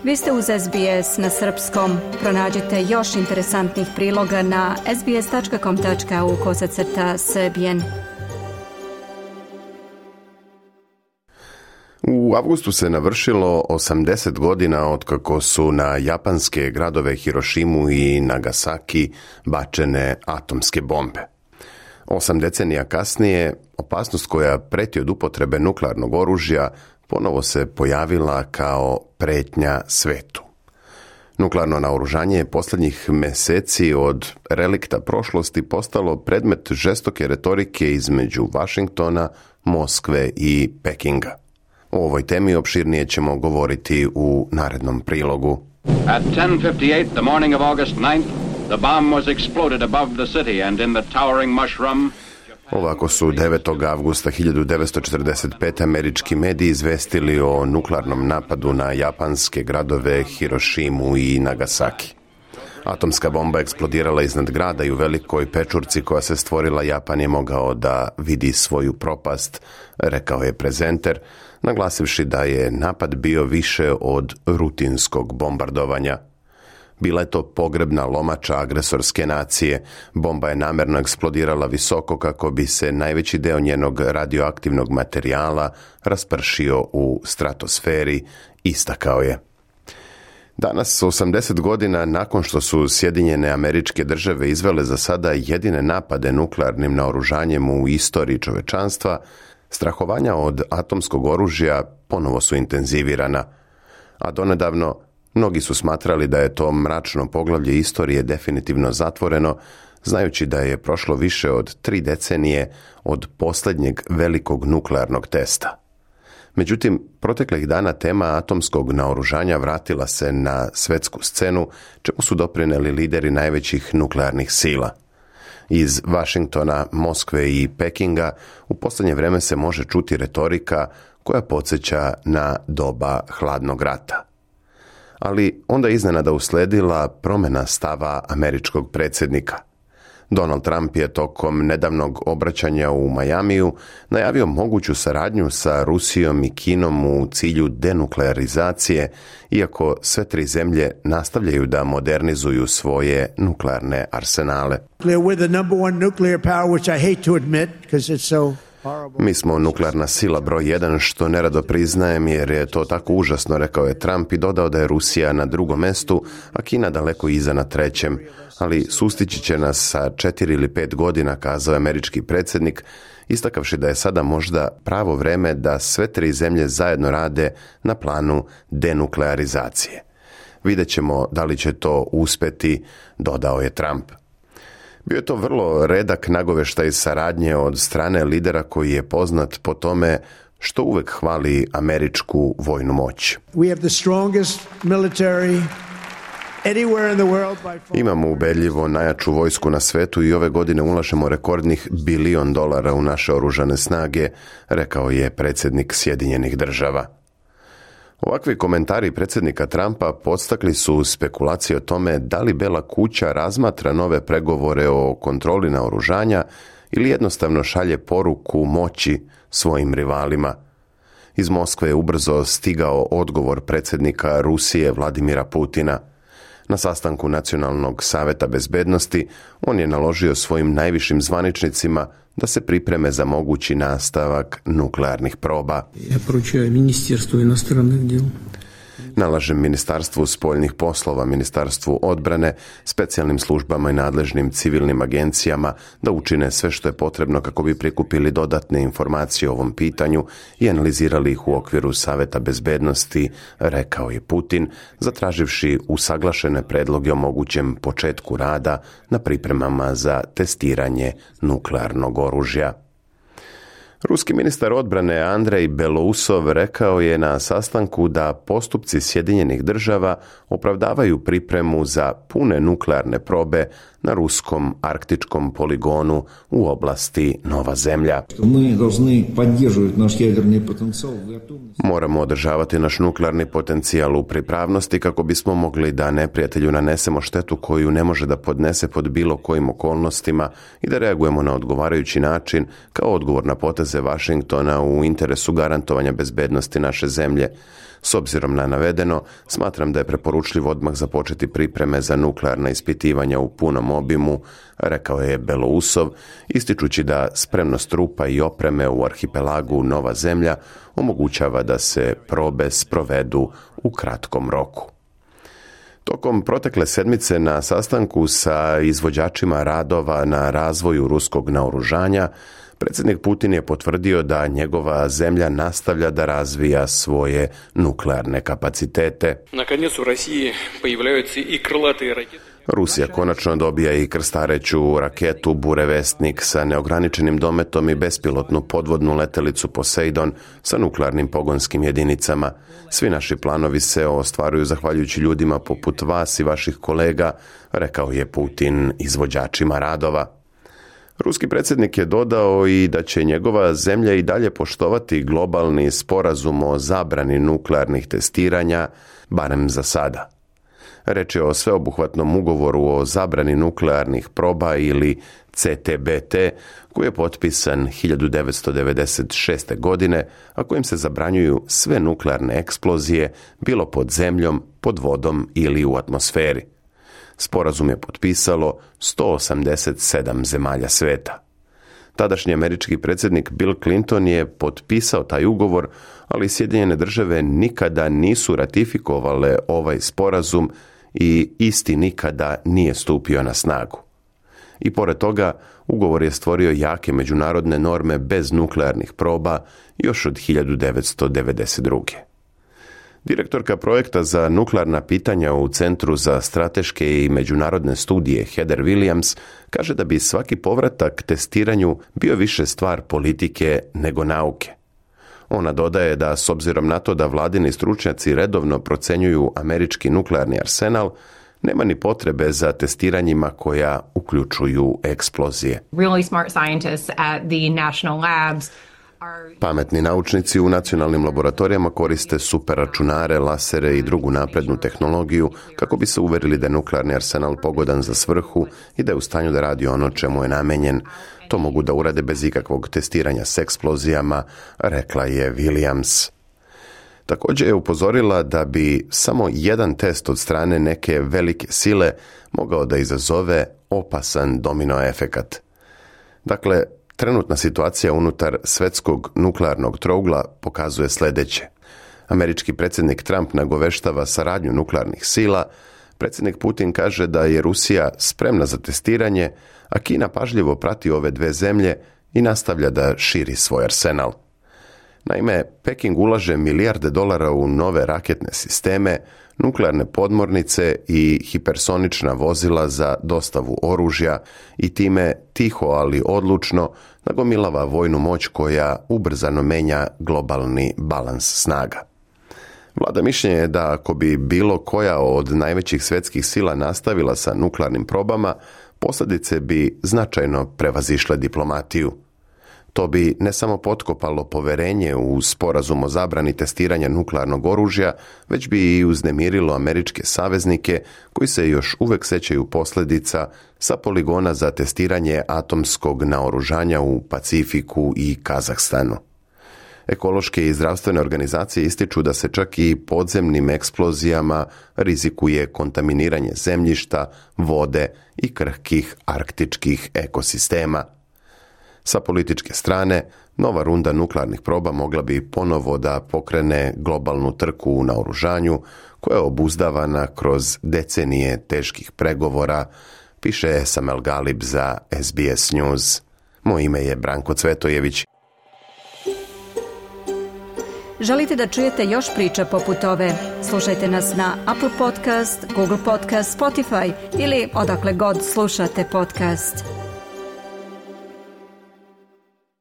Vi ste uz SBS na srpskom. Pronađite još interesantnih priloga na sbs.com.au/srbijen. U avgustu se navršilo 80 godina otkako su na japanske gradove Hirošimu i Nagasaki bačene atomske bombe. 8 decenija kasnije, opasnost koja preti od upotrebe nuklearnog oružja ponovo se pojavila kao pretnja svetu. Nuklearno naoružanje je posljednjih mjeseci od relikta prošlosti postalo predmet žestoke retorike između Vašingtona, Moskve i Pekinga. O ovoj temi opširnije ćemo govoriti u narednom prilogu. At 10:58 the morning of August 9th, the bomb was exploded above the city and in the towering mushroom. Ovako su 9. avgusta 1945. američki mediji izvestili o nuklearnom napadu na japanske gradove Hirošimu i Nagasaki. Atomska bomba eksplodirala iznad grada i u velikoj pečurci koja se stvorila Japan je mogao da vidi svoju propast, rekao je prezenter, naglasivši da je napad bio više od rutinskog bombardovanja. Bila je to pogrebna lomača agresorske nacije. Bomba je namjerno eksplodirala visoko kako bi se najveći deo njenog radioaktivnog materijala raspršio u stratosferi, istakao je. Danas, 80 godina nakon što su Sjedinjene Američke Države izvele za sada jedine napade nuklearnim naoružanjem u istoriji čovečanstva, strahovanja od atomskog oružja ponovo su intenzivirana, a donedavno mnogi su smatrali da je to mračno poglavlje istorije definitivno zatvoreno, znajući da je prošlo više od 3 decenije od posljednjeg velikog nuklearnog testa. Međutim, proteklih dana tema atomskog naoružanja vratila se na svetsku scenu, čemu su doprinijeli lideri najvećih nuklearnih sila. Iz Vašingtona, Moskve i Pekinga u posljednje vrijeme se može čuti retorika koja podsjeća na doba hladnog rata. Ali onda je iznenada usledila promjena stava američkog predsjednika. Donald Trump je tokom nedavnog obraćanja u Majamiju najavio moguću saradnju sa Rusijom i Kinom u cilju denuklearizacije, iako sve 3 zemlje nastavljaju da modernizuju svoje nuklearne arsenale. Mi smo nuklearna sila broj 1, što nerado priznajem jer je to tako užasno, rekao je Trump i dodao da je Rusija na 2. mjestu, a Kina daleko iza na 3. Ali sustići će nas sa 4 ili 5 godina, kazao je američki predsjednik, istakavši da je sada možda pravo vrijeme da sve 3 zemlje zajedno rade na planu denuklearizacije. Vidjet ćemo da li će to uspjeti, dodao je Trump. Bio je to vrlo redak nagoveštaj saradnje od strane lidera koji je poznat po tome što uvek hvali američku vojnu moć. Imamo ubedljivo najjaču vojsku na svetu i ove godine ulažemo rekordnih $1 bilion u naše oružane snage, rekao je predsjednik Sjedinjenih Država. Ovakvi komentari predsjednika Trumpa podstakli su spekulacije o tome da li Bela kuća razmatra nove pregovore o kontroli naoružanja ili jednostavno šalje poruku moći svojim rivalima. Iz Moskve je ubrzo stigao odgovor predsjednika Rusije Vladimira Putina. Na sastanku Nacionalnog saveta bezbednosti on je naložio svojim najvišim zvaničnicima da se pripreme za mogući nastavak nuklearnih proba. Ja poručujem Ministarstvu inostranih djela. Nalažem Ministarstvu spoljnih poslova, Ministarstvu odbrane, specijalnim službama i nadležnim civilnim agencijama da učine sve što je potrebno kako bi prikupili dodatne informacije o ovom pitanju i analizirali ih u okviru Saveta bezbednosti, rekao je Putin, zatraživši usaglašene predloge o mogućem početku rada na pripremama za testiranje nuklearnog oružja. Ruski ministar odbrane Andrej Belousov rekao je na sastanku da postupci Sjedinjenih Država opravdavaju pripremu za pune nuklearne probe na ruskom arktičkom poligonu u oblasti Nova Zemlja. Moramo održavati naš nuklearni potencijal u pripravnosti kako bismo mogli da neprijatelju nanesemo štetu koju ne može da podnese pod bilo kojim okolnostima i da reagujemo na odgovarajući način kao odgovor na poteze Vašingtona u interesu garantovanja bezbednosti naše zemlje. S obzirom na navedeno, smatram da je preporučljivo odmah započeti pripreme za nuklearna ispitivanja u punom obimu, rekao je Belousov, ističući da spremnost trupa i opreme u arhipelagu Nova Zemlja omogućava da se probe sprovedu u kratkom roku. Tokom protekle sedmice na sastanku sa izvođačima radova na razvoju ruskog naoružanja, predsjednik Putin je potvrdio da njegova zemlja nastavlja da razvija svoje nuklearne kapacitete. Наконец у России появляются и крылатые ракеты. Rusija konačno dobija i krstareću raketu Burevestnik sa neograničenim dometom i bespilotnu podvodnu letelicu Poseidon sa nuklearnim pogonskim jedinicama. Svi naši planovi se ostvaruju zahvaljujući ljudima poput vas i vaših kolega, rekao je Putin izvođačima radova. Ruski predsjednik je dodao i da će njegova zemlja i dalje poštovati globalni sporazum o zabrani nuklearnih testiranja, barem za sada. Reč je o sveobuhvatnom ugovoru o zabrani nuklearnih proba ili CTBT, koji je potpisan 1996. godine, a kojim se zabranjuju sve nuklearne eksplozije, bilo pod zemljom, pod vodom ili u atmosferi. Sporazum je potpisalo 187 zemalja sveta. Tadašnji američki predsjednik Bill Clinton je potpisao taj ugovor, ali Sjedinjene Države nikada nisu ratifikovale ovaj sporazum i isti nikada nije stupio na snagu. I pored toga, ugovor je stvorio jake međunarodne norme bez nuklearnih proba još od 1992. Direktorka projekta za nuklearna pitanja u Centru za strateške i međunarodne studije Heather Williams kaže da bi svaki povratak testiranju bio više stvar politike nego nauke. Ona dodaje da s obzirom na to da vladini stručnjaci redovno procenjuju američki nuklearni arsenal, nema ni potrebe za testiranjima koja uključuju eksplozije. Really smart scientists at the national labs. Pametni naučnici u nacionalnim laboratorijama koriste superračunare, lasere i drugu naprednu tehnologiju kako bi se uverili da je nuklearni arsenal pogodan za svrhu i da je u stanju da radi ono čemu je namenjen. To mogu da urade bez ikakvog testiranja s eksplozijama, rekla je Williams. Također je upozorila da bi samo jedan test od strane neke velike sile mogao da izazove opasan domino efekat. Dakle, trenutna situacija unutar svetskog nuklearnog trougla pokazuje sljedeće. Američki predsjednik Trump nagoveštava saradnju nuklearnih sila, predsjednik Putin kaže da je Rusija spremna za testiranje, a Kina pažljivo prati ove dve zemlje i nastavlja da širi svoj arsenal. Naime, Peking ulaže milijarde dolara u nove raketne sisteme, nuklearne podmornice i hipersonična vozila za dostavu oružja i time tiho, ali odlučno nagomilava vojnu moć koja ubrzano menja globalni balans snaga. Vlada mišljenje je da ako bi bilo koja od najvećih svjetskih sila nastavila sa nuklearnim probama, posljedice bi značajno prevazišle diplomatiju. To bi ne samo potkopalo poverenje u sporazum o zabrani testiranja nuklearnog oružja, već bi i uznemirilo američke saveznike koji se još uvek sećaju posljedica sa poligona za testiranje atomskog naoružanja u Pacifiku i Kazahstanu. Ekološke i zdravstvene organizacije ističu da se čak i podzemnim eksplozijama rizikuje kontaminiranje zemljišta, vode i krhkih arktičkih ekosistema. Sa političke strane, nova runda nuklearnih proba mogla bi ponovo da pokrene globalnu trku u naoružanju koja je obuzdavana kroz decenije teških pregovora, piše Samel Galib za SBS News. Moje ime je Branko Cvetojević. Želite da čujete još priča poput ove? Slušajte nas na Apple Podcast, Google Podcast, Spotify ili odakle god slušate podcast.